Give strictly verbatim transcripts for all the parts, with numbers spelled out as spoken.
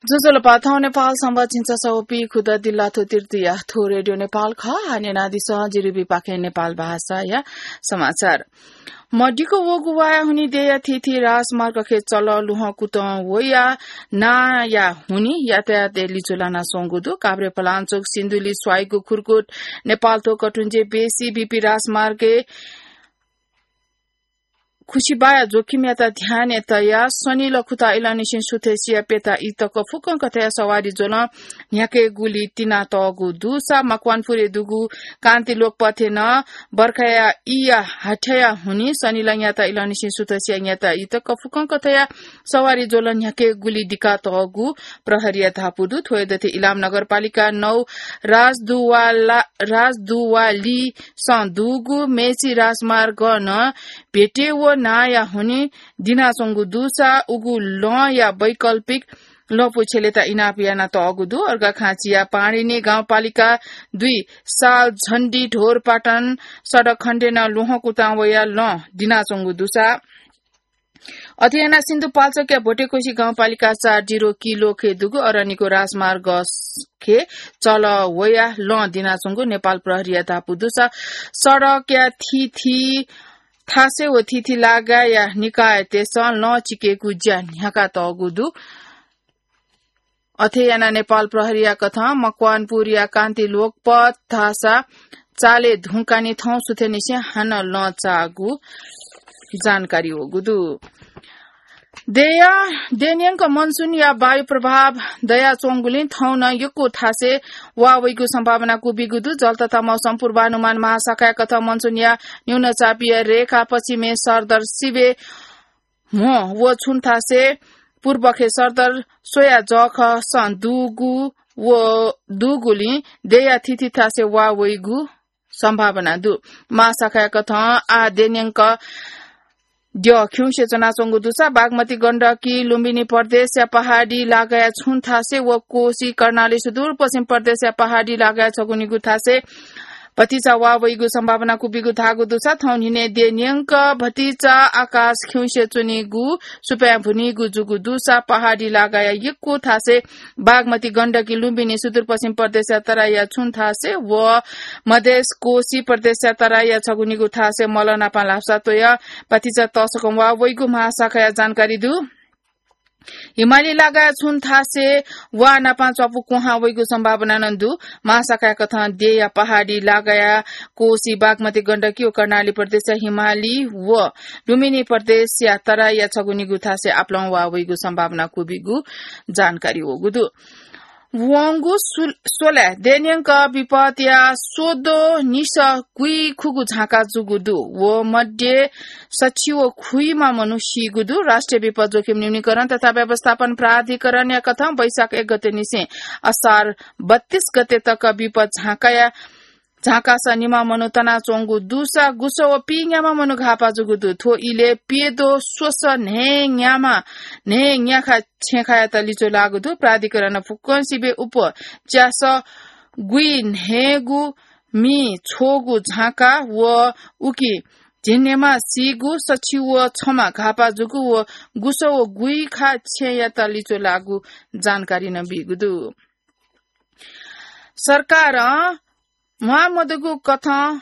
ज्वजलपा, थौं नेपाल संवत् झिंछसः व पीखुदँ दिल्लाथ्व तृतीया। थ्व रेडियो नेपाल खः। हानं न्यनादिसँ जिरिबी पाखें नेपाल भाषाया समाचार। मदिक्क वःगु वाया हुनिं देया थीथी राजमार्गखे चलः लुहं कुतं वया नांया हुनिं यातायातय् लिचु लानाच्वंगु दु। काभ्रेपलाञ्चोक सिन्धुली स्वाइगु खुर्कुट नेपालथ्व कटुंजे बेसी बीपी राजमार्गय् खुसिबाया जोखिमयात ध्यानय् तयाः शनि लखुता इलंनिसें सुथसिया प्यता ई तक फुक्कं कथंया सवारी ज्वलं न्ह्याकेगुली तिनातःगु दुसा मकवानपुरय् दुगु कान्ति लोकपथय् नं बर्खाया ईया हाथ्याया हुनिं शनि लंयात इलंनिसें सुथसिया न्ह्याता ई तक फुक्कं कथंया सवारी ज्वलं न्ह्याकेगुली दिकातःगु प्रहरीया धापू दु। थ्व हे दथें इलाम नगरपालिका नौ राजदुवाला, राजदुवालीसं दुगु मेची राजमार्गं भेटे व नांया हुनिं दिनाच्वंगु दुसा उगु लँया वैकल्पिक लँपु छ्यलेत इनाप यानातःगु दु। अर्घाखाँचिया पाणिनी गाउँपालिका दुई सालझण्डी ढोरपाटन सडक खण्डय् नं लुहं कुतां वया लँ दिनाच्वंगु दुसा अथे यानाः सिन्धुपाल्चोकया भोटेकोशी गाउँपालिका चार डिरो किलोखे दुगु अरनिको राजमार्गखे चलः वया लँ दिनाच्वंगु नेपाल प्रहरीया धापू दुसा सडकया थीथी थासय् व थीथी लागाया निकायतय्सं लँ चिकेगु ज्या न्ह्याकातःगु दु। अथे यानाः नेपाल प्रहरीया कथं मकवानपुरया कान्ति लोकपथ धाःसा चाले धुंकानि थौं सुथनिसें हानं लँ चाःगु जानकारी वःगु दु। देया, देन्यंक मनसुनया वायु प्रभाव दयाच्वंगुलिं थौं नं यक्व थासय् वा वइगु सम्भावना क्वबिगु दु। जल तथा मौसम पूर्वानुमान महाशाखाया कथं मनसुनया न्यूनचापीय रेखा पश्चिमय् सरदर सिबें म्हो व छुं थासय् पूर्वखे सरदर स्वया जःखसं दुगु व दुगुलिं देया थीथी थासय् वा वइगु सम्भावना दु। महाशाखाया कथं आः देन्यंक द्यः खिउँसे च्वनाच्वंगु दुसा बागमती गण्डकी लुम्बिनी प्रदेशया पहाडी लागाया छुं थासय् व कोशी कर्णाली सुदूरपश्चिम प्रदेशया पहाडी लागाया छगू निगू थासय् भतिचा वा वइगु सम्भावना क्वबिगु धाःगु दुसा थौं न्हिनय् देन्यंक भतिचा आकाश खिउँसे च्वनीगु सुपाँय् भुनीगु जूगु दुसा पहाडी लागाया यक्व थासय् बागमती गण्डकी लुम्बिनी सुदूरपश्चिम प्रदेशया तराईया छुं थासय् व मधेस कोशी प्रदेशया तराईया छगू निगू थासय् मलः नापं ल्हापसा त्वय् भतिचा तसकं वा वइगु महाशाखाया जानकारी दु। हिमाली लागाया छुं थासय् वा नापं च्वापु क्वहां वइगु सम्भावना नं दु। महाशाखाया कथं देया पहाडी लागाया कोशी बागमती गण्डकी व कर्णाली प्रदेशया हिमाली व लुम्बिनी प्रदेशया तराईया छगू निगू थासय् आपालं वा वइगु सम्भावना क्वबिगु जानकारी वःगु दु। वंगु सु-, स्वलाय् देन्यंक विपदया स्वदो निसः गुइखुगु झाँका जूगु दु। व मध्ये सछि व खुइमा मनू सीगु दु। राष्ट्रिय विपद जोखिम न्यूनीकरण तथा व्यवस्थापन प्राधिकरणया कथं वैशाख एक गते निसें असार बत्तीस गते तक विपद झाँकाया झाँकास निम्ह मनू तनाच्वंगु दुसा गुसः व पीन्याम्ह मनू घाःपा जूगु दु। थ्व इलय् प्यदँ स्वसः न्हय्न्याम्ह न्हय्न्याखा छेँखायात लिच्वः लाःगु दु। प्राधिकरणं फुक्कसिबें उप च्यासः गुइन्हय्गू मि छ्वःगु झाँका व उकी झिंन्हय्म्ह सीगु, सछि व छम्ह घाःपा जूगु व गुसः व गुइखा छेँयात लिच्वः लाःगु जानकारी नं बीगु दु। सरकारं म्वाःमदुगु कथं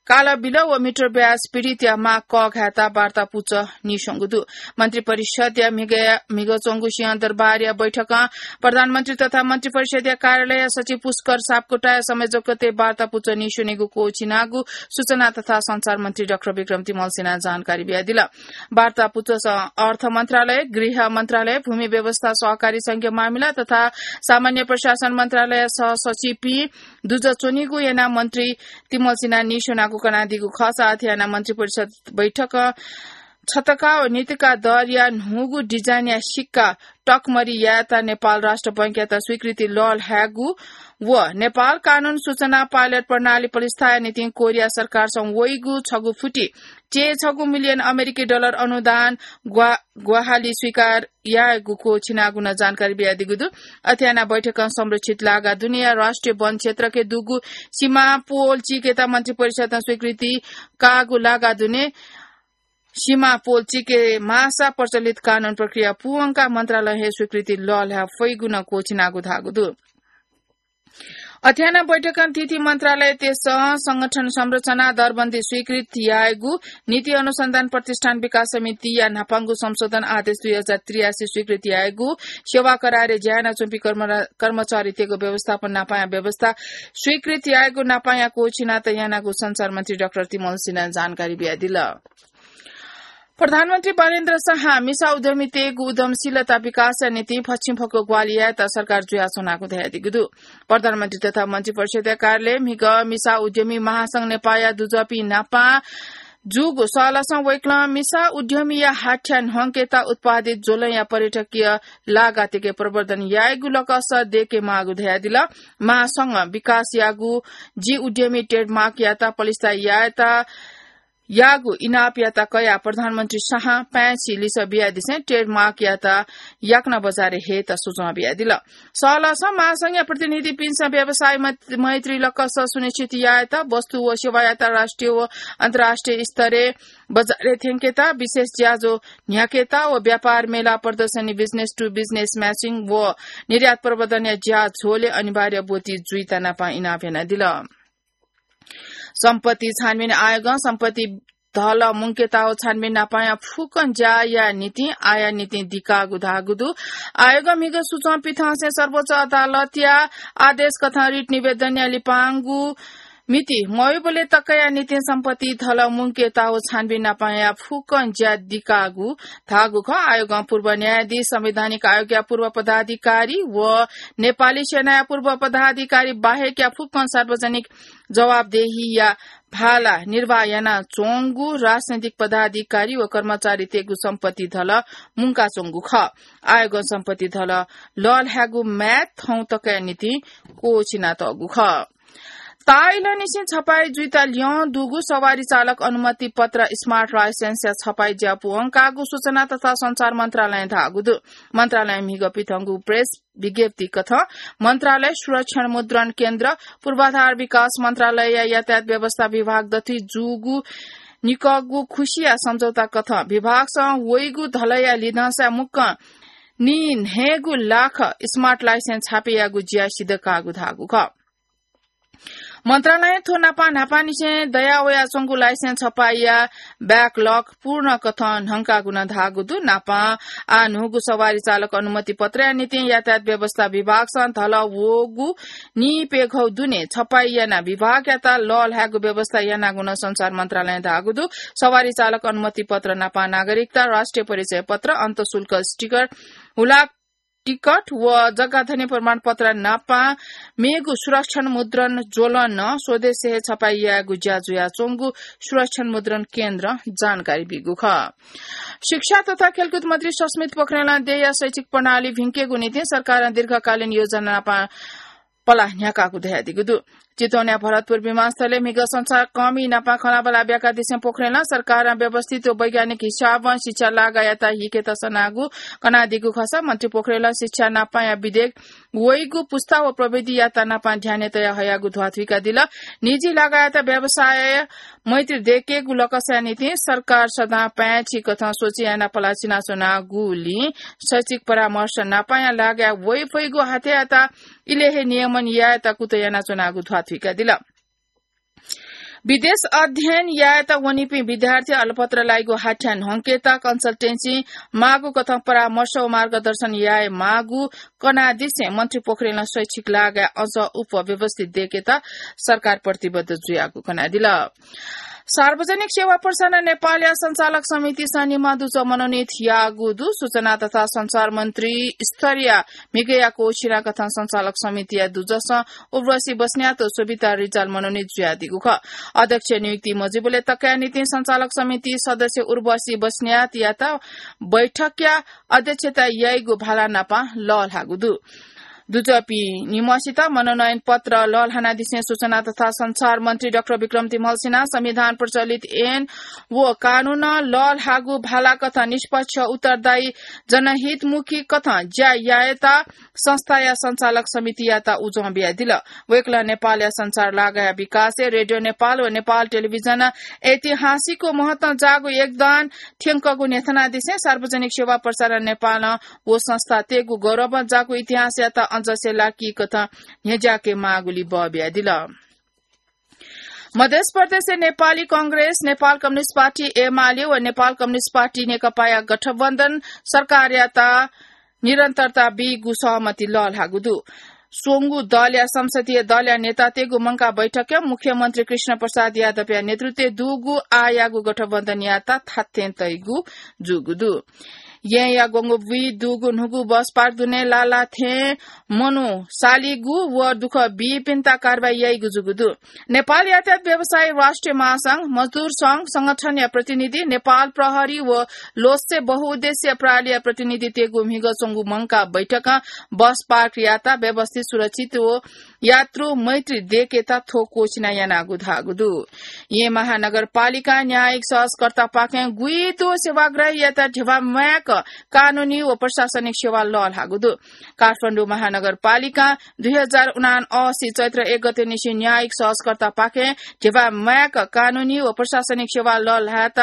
कालाबिल व मिटर ब्याज पीडितया माग कःघायेत वार्ता पुचः नीस्वंगु दु। मन्त्रिपरिषद्या म्हिगः, म्हिगः च्वंगु सिंहदरबारया बैठकं प्रधानमन्त्री तथा मन्त्रिपरिषद्या कार्यालय सचिव पुष्कर सापकोटाया संयोजकत्वय् वार्ता पुचः नीस्वनेगु क्वःछिनागु सूचना तथा सञ्चार मन्त्री डाक्टर विक्रम तिमल्सिनां जानकारी बियादिल। वार्ता पुचःसं अर्थ मन्त्रालय, गृह मन्त्रालय, भूमि व्यवस्था सहकारी संघीय मामिला तथा सामान्य प्रशासन मन्त्रालय सह सचिवपिं दुजः च्वनीगु यानाः मन्त्री तिमल्सिनां नीस्वनागु कनादीगु खःसा अथे यानाः मन्त्रिपरिषद बैठकं छतका व नितका दरया न्हूगु डिजाइनया सिक्का टकमरि यायेत नेपाल राष्ट्र बैंकयात स्वीकृति लःल्हायेगु व नेपाल कानून सूचना पाइलट प्रणाली प्रतिष्ठाया निंतिं कोरिया सरकारसं वइगु छगू फुति चय्छगू मिलियन अमेरिकी डलर अनुदान ग्वा-, ग्वाहालि स्वीकार यायेगु क्वःछिनागु नं जानकारी बियादीगु दु। अथे यानाः बैठकं संरक्षित लागा दुनेया राष्ट्रिय वन क्षेत्रखे दुगु सीमा पोल चीकेत मन्त्रिपरिषदं स्वीकृति काःगु लागा दुने सीमा पोल चिके माःसा प्रचलित कानून प्रक्रिया पूवंकाः मन्त्रालयं हे स्वीकृति लःल्हाये फइगु नं क्वःछिनागु धाःगु दु। अथे यानाः बैठकं थीथी मन्त्रालयतय्सं संगठन संरचना दरबन्दी स्वीकृत यायेगु, नीति अनुसन्धान प्रतिष्ठान विकास समितिया न्हापांगु संशोधन आदेश दुई हजार त्रियासी स्वीकृत यायेगु, सेवा करारय् ज्या यानाच्वंपिं कर्म-, कर्मचारीतय्गु व्यवस्थापन नापांया व्यवस्था स्वीकृत यायेगु नापांया क्वःछिनातः यानागु सञ्चार मन्त्री डाक्टर तिमल सिन्हां जानकारी बियादिल। प्रधानमन्त्री बालेन्द्र शाहं मिसा उद्यमीतय्गु उद्यमशीलता विकासया निंतिं फच्छिंफक्व ग्वाहालि यायेत सरकार जुयाच्वनागु धयादीगु दु। प्रधानमन्त्री तथा मन्त्रिपरिषदया कार्यालयं म्हिगः मिसा उद्यमी महासंघ नेपाःया दुजःपिं नापां जूगु सहलहसं वय्कलं मिसा उद्यमीया हाथ्या न्हंकेत उत्पादित ज्वलंया पर्यटकीय लागातय्के प्रवर्धन यायेगु लकस दय्केमाःगु धयादिल। महासंघ विकास याःगु जि उद्यमी ट्रेडमार्कयात पलिस्था यायेत याःगु इनापयात कयाः प्रधानमन्त्री शाहं पाय्छि लिसः बियादिसें ट्रेडमार्कयात याकनं बजारय् हयेत सुझाव बियादिल। सहलहसं महासंघया प्रतिनिधिपिन्सं व्यवसाय मैत-, मैत्री लकस सुनिश्चित यायेत, वस्तु व सेवायात राष्ट्रिय व अन्तर्राष्ट्रिय स्तरय् बजारय् थ्यंकेत, विशेष ज्याझ्वः न्ह्याकेत व व्यापार मेला, प्रदर्शनी, business to business matching व निर्यात प्रवर्धनया ज्याझ्वलय् अनिवार्य ब्वति जुइत नापं इनाप यानादिल। सम्पत्ति छानबिन आयोगं सम्पत्ति धल मुंकेताः छानबिन नापांया फुक्कं ज्याया निंतिं आःया निंतिं दिकाःगु धाःगु दु। आयोगं म्हिगः सुचं पिथंसें सर्वोच्च अदालतया आदेश कथं रिट निवेदनया लिपांगु मिति मवइबलय् तकया निंतिं सम्पत्ति धल मुंकेताः छानबिन नापांया फुक्कं ज्या दिकाःगु धाःगु खः। आयोगं पूर्व न्यायाधीश, संवैधानिक आयोगया पूर्व पदाधिकारी व नेपाली सेनाया पूर्व पदाधिकारी बाहेकया फुक्कं सार्वजनिक जवाबदेहीया भाला निर्वाह यानाच्वंगु राजनैतिक पदाधिकारी व कर्मचारीतय्गु सम्पत्ति धल मुंकाच्वंगु खः। आयोगं सम्पत्ति धल लःल्हायेगु म्याद थौं तकया निंतिं क्वःछिनातःगु खः। ताःइलंनिसें छपाई जुइत ल्यं दुगु सवारी चालक अनुमति पत्र, smart licenceया छपाई ज्या पूवंकाःगु सूचना तथा सञ्चार मन्त्रालयं धाःगु दु। मन्त्रालयं म्हिगः पिथंगु प्रेस विज्ञप्ति कथं मन्त्रालय, सुरक्षण मुद्रण केन्द्र, पूर्वाधार विकास मन्त्रालयया यातायात व्यवस्था विभाग दथुइ जूगु निकःगु खुसिया सम्झौता कथं विभागसं वइगु धलया लिधंसाय् मुक्कं नीन्हय्गू लाख smart licenceया छपाई ज्या सिद्ध काःगु धाःगु खः। मन्त्रालयं थ्व नापं न्हापांनिसें दयावयाच्वंगु licenceया छपाईया backlog पूर्ण कथं न्हंकाःगु नं धाःगु दु। नापं आः न्हूगु सवारी चालक अनुमति पत्रया निंतिं यातायात व्यवस्था विभागसं धल वःगु नीप्यघौ दुने छपाई यानाः विभागयात लःल्हायेगु व्यवस्था यानागु नं सञ्चार मन्त्रालयं धाःगु दु। सवारी चालक अनुमति पत्र नापं नागरिकता, राष्ट्रिय परिचय पत्र, अन्तःशुल्क sticker, हुलाक टिकट व जग्गाधनी प्रमाणपत्र नापं मेगु सुरक्षण मुद्रण ज्वलं नं स्वदेशय् हे छपाई यायेगु ज्या जुयाच्वंगु सुरक्षण मुद्रण केन्द्रं जानकारी ब्यूगु खः। शिक्षा तथा खेलकुद मन्त्री सस्मित पोखरेलं देय्या शैक्षिक प्रणाली भिंकेगु निंतिं सरकारं दीर्घकालीन योजना नापं पलाः न्ह्याकाःगु धयादीगु दु। चितवनया भरतपुर विमानस्थलय् म्हिगः संचारकर्मी नापं खँल्हाबल्हा ब्याकादिसें पोखरेलं सरकारं व्यवस्थित व वैज्ञानिक हिसाबं शिक्षा लागायात हिकेत सनागु कनादीगु खःसा मन्त्री पोखरेलं शिक्षा नापंया विधेयक वइगु पुस्ता व प्रविधियात नापं ध्यानय् तयाः हयागु ध्वाथुइकादिल। निजी लागायात व्यवसाय मैत्री दय्केगु लकसया निंतिं सरकार सदां पाय्छि कथं सोचे यानाः पलाः चिनाच्वनागुलिं शैक्षिक परामर्श नापंया लागाय् वइफइगु हाथ्यायात इलय् हे नियमन यायेत कुतः यानाच्वनागु ध्वाथुइकादिल। विदेश अध्ययन यायेत वनीपिं विद्यार्थी अलपत्र लाइगु हाथ्या न्हंकेत consultancy माःगु कथं परामर्श व मार्गदर्शन याये माःगु कनादिसें मन्त्री पोखरेलं शैक्षिक लागाय् अझ उप व्यवस्थित दय्केत सरकार प्रतिबद्ध जुयागु कनादिल। सार्वजनिक सेवा प्रसारण नेपालया सञ्चालक समितिसं निम्ह दुजः मनोनित याःगु दु। सूचना तथा सञ्चार मन्त्री स्तरीय म्हिगःया क्वःछिना कथं सञ्चालक समितिया दुजःसं उर्वशी बस्नेत व सोभिता रिजाल मनोनित जुयादीगु खः। अध्यक्ष नियुक्ति मजुइबलय् तकया निंतिं सञ्चालक समिति सदस्य उर्वशी बस्नेतयात बैठकया अध्यक्षता याइगु भाला नापं लःल्हाःगु दु। दुजःपिं निम्हसित मनोनयन पत्र लःल्हानादिसें सूचना तथा सञ्चार मन्त्री डाक्टर विक्रम तिमल सिन्हा संविधान प्रचलित ऐन व कानून लःल्हाःगु भाला कथं निष्पक्ष उत्तरदायी जनहितमुखी कथं ज्या यायेत संस्थाया सञ्चालक समितियात उजं बियादिल। वय्कलं नेपालया सञ्चार लागाया विकासय् रेडियो नेपाल व नेपाल टेलिभिजन ऐतिहासिक महत्वं जाःगु योगदान थ्यंकःगु न्ह्यथनादिसें सार्वजनिक सेवा प्रसारण नेपालं व संस्थातय्गु गौरवं जाःगु इतिहासयात अझ सेलाकी कथं न्ह्यज्याके माःगुली बः बियादिल। मध्य प्रदेशय् नेपाली कांग्रेस, नेपाल कम्युनिस्ट पार्टी एमाले व नेपाल कम्युनिस्ट पार्टी नेकपाया गठबन्धन सरकारयात निरन्तरता बीगु सहमति लःल्हाःगु दु। स्वंगू दलया संसदीय दलया नेतातय्गु मंकाः बैठकय् मुख्यमन्त्री कृष्ण प्रसाद यादवया नेतृत्वय् दुगु आःयागु गठबन्धनयात थात्थें तइगु जूगु दु। येँया ग्वंगु बुँइ दुगु न्हूगु बस पार्क दुने लाला थें मनू सालीगु व दुःख बीपिन्त कारवाही याइगु जूगु दु। नेपाल यातायात व्यवसायी राष्ट्रिय महासंघ, मजदुर संघ संगठनया प्रतिनिधि, नेपाल प्रहरी व लोस्से बहुउद्देश्य प्रणालीया प्रतिनिधितय्गु म्हिगः च्वंगु मंकाः बैठकं बस पार्कयात व्यवस्थित, सुरक्षित व यात्रु मैत्री दयेकेत थ्व क्वःछिना यानागु धाःगु दु। येँ महानगरपालिकां न्यायिक सहजकर्तापाखें गुइदो सेवाग्राहीयात ध्यबा म्वायेक कानूनी व प्रशासनिक सेवा लःल्हाःगु दु। काठमाडौं महानगरपालिकां दुई हजार उनासी चैत्र एक गते निसें न्यायिक सहजकर्तापाखें ध्यबा म्वायेक कानूनी व प्रशासनिक सेवा लःल्हायेत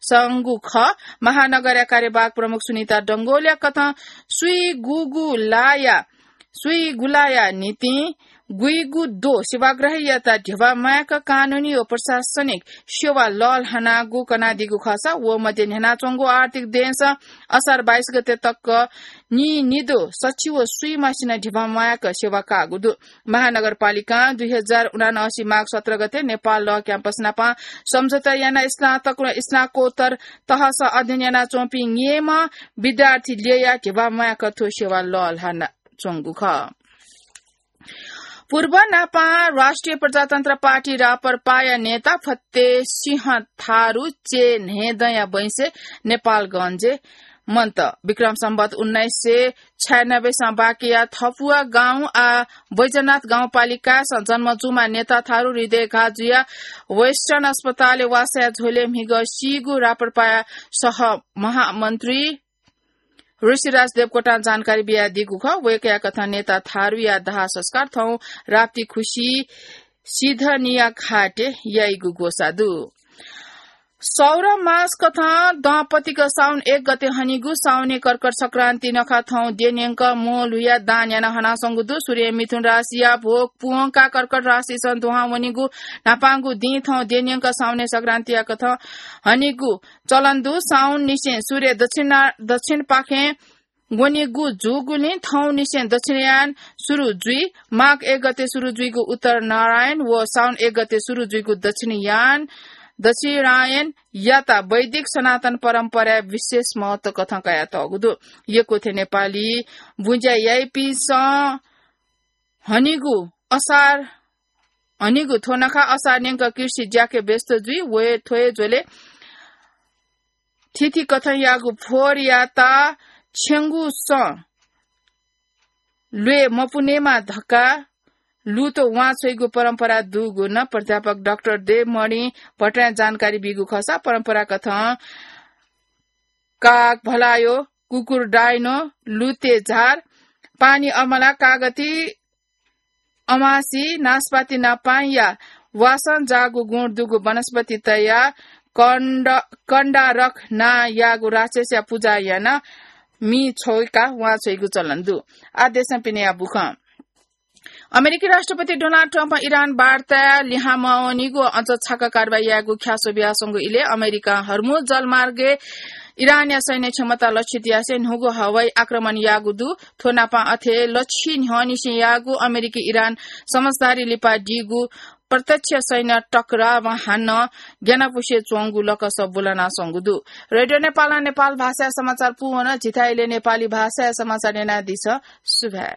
संगु खः। महानगरया कार्यवाहक प्रमुख सुनिता डंगोलया कथं सुइगुगु लाया सुइगुलाया निंतिं गुइगु दो सेवाग्राहीयात ध्यबा म्वायेक कानूनी व प्रशासनिक सेवा लःल्हानागु कनादीगु खःसा व मध्ये न्ह्यानाच्वंगु आर्थिक देय्सं असार बाइस गते तक निनिदो सछि व सुइमासिनं ध्यबा म्वायेक सेवा काःगु दु। महानगरपालिकां दुई हजार उनासी माघ सत्र गते नेपाल लः क्याम्पस नाप सम्झौता यानाः स्नातक व स्नाकोत्तर तहसं अध्ययन यानाच्वंपिं निम्ह विद्यार्थी ल्ययाः ध्यबा म्वायेक थ्व सेवा लःल्हानाच्वंगु खः। पूर्व नापं राष्ट्रिय प्रजातन्त्र पार्टी राप्रपाया नेता फत्ते सिंह थारु चेन्हेदँया बैंसय् नेपालगञ्जय् मन्त। विक्रम सम्वत उन्नाइस सय छयानब्बेसं बाँकेया थपुवा गाउँ आः बैजनाथ गाउँपालिकासं जन्म जूम्ह नेता थारु हृदयघात जुयाः वेस्टर्न अस्पतालय् वासया झ्वलय् म्हिगः सीगु राप्रपाया सह महामन्त्री ऋषिराज देवकोटां जानकारी बियादीगु खः। वय्कःया कथं नेता थारुया दाह संस्कार थौं राप्ती खुसी सिधनिया घाटय् याइगु ग्वसाः दु। सौर मास कथं दँपतिक साउन एक गते हनीगु साउने कर्कट संक्रान्ति नखः थौं द्यः न्यंक म्वःल्हुयाः दान याना हनाच्वंगु दु। सूर्य मिथुन राशिया भ्वय् प्वंकाः कर्कट राशिसं दुहां वनीगु न्हापांगु दिं थौं द्यः न्यंक साउने संक्रान्तिया कथं हनीगु चलन दु। साउन निसें सूर्य दक्षिणा-, दक्षिणपाखें ग्वनीगु जूगुलिं थौंनिसें दक्षिणयान सुरु जुइ। माघ एक गते सुरु जुइगु उत्तर नारायण व साउन एक गते सुरु जुइगु दक्षिणयान, दक्षिणायनयात वैदिक सनातन परम्पराय् विशेष महत्व कथं कयातःगु दु। यक्व थें नेपाली बुँज्या याइपिन्सं हनीगु असार, हनीगु थ्व नखः असार न्यंक कृषि ज्याके व्यस्त जुइ। वय् थ्व हे झ्वलय् थीथी कथंयागु फोहोरयात छेंगुसं ल्वये मपुनेमा धकाः लुतो वांछ्वइगु परम्परा दुगु नं प्राध्यापक डाक्टर देवमणि भट्टराईं जानकारी बीगु खःसा परम्परा कथं काग, भलायो, कुकुर डाइनो, लुते झार, पानी अमला, कागती, अमासी, नास्पाति नापांया वासं जाःगु गुण दुगु वनस्पति तयाः कण्ड-, कण्डारक नां याःगु राक्षसया पुजा यानाः मि छ्वय्काः वांछ्वइगु चलन दु। आः देशं पिनेया बुखँ। अमेरिकी राष्ट्रपति डोनाल्ड ट्रम्पं इरान वार्ताय् लिहां मवनीगु अझ छाका कारवाही यायेगु ख्यासो बियाच्वंगु इलय् अमेरिकां हर्मुज जलमार्गय् इरानया सैन्य क्षमता लक्षित यासें न्हूगु हवाई आक्रमण याःगु दु। थ्व नापं अथे लछि न्ह्यःनिसें याःगु अमेरिकी इरान समझदारी लिपा दीगु प्रत्यक्ष सैन्य टकरावं हानं ग्यानापुसे च्वंगु लकस ब्वलनाच्वंगु दु। रेडियो नेपालं नेपाल भाषाया समाचार पूवन। झीथाय् इलय् नेपाली भाषाया समाचार न्यनादिसँ। सुभाय्।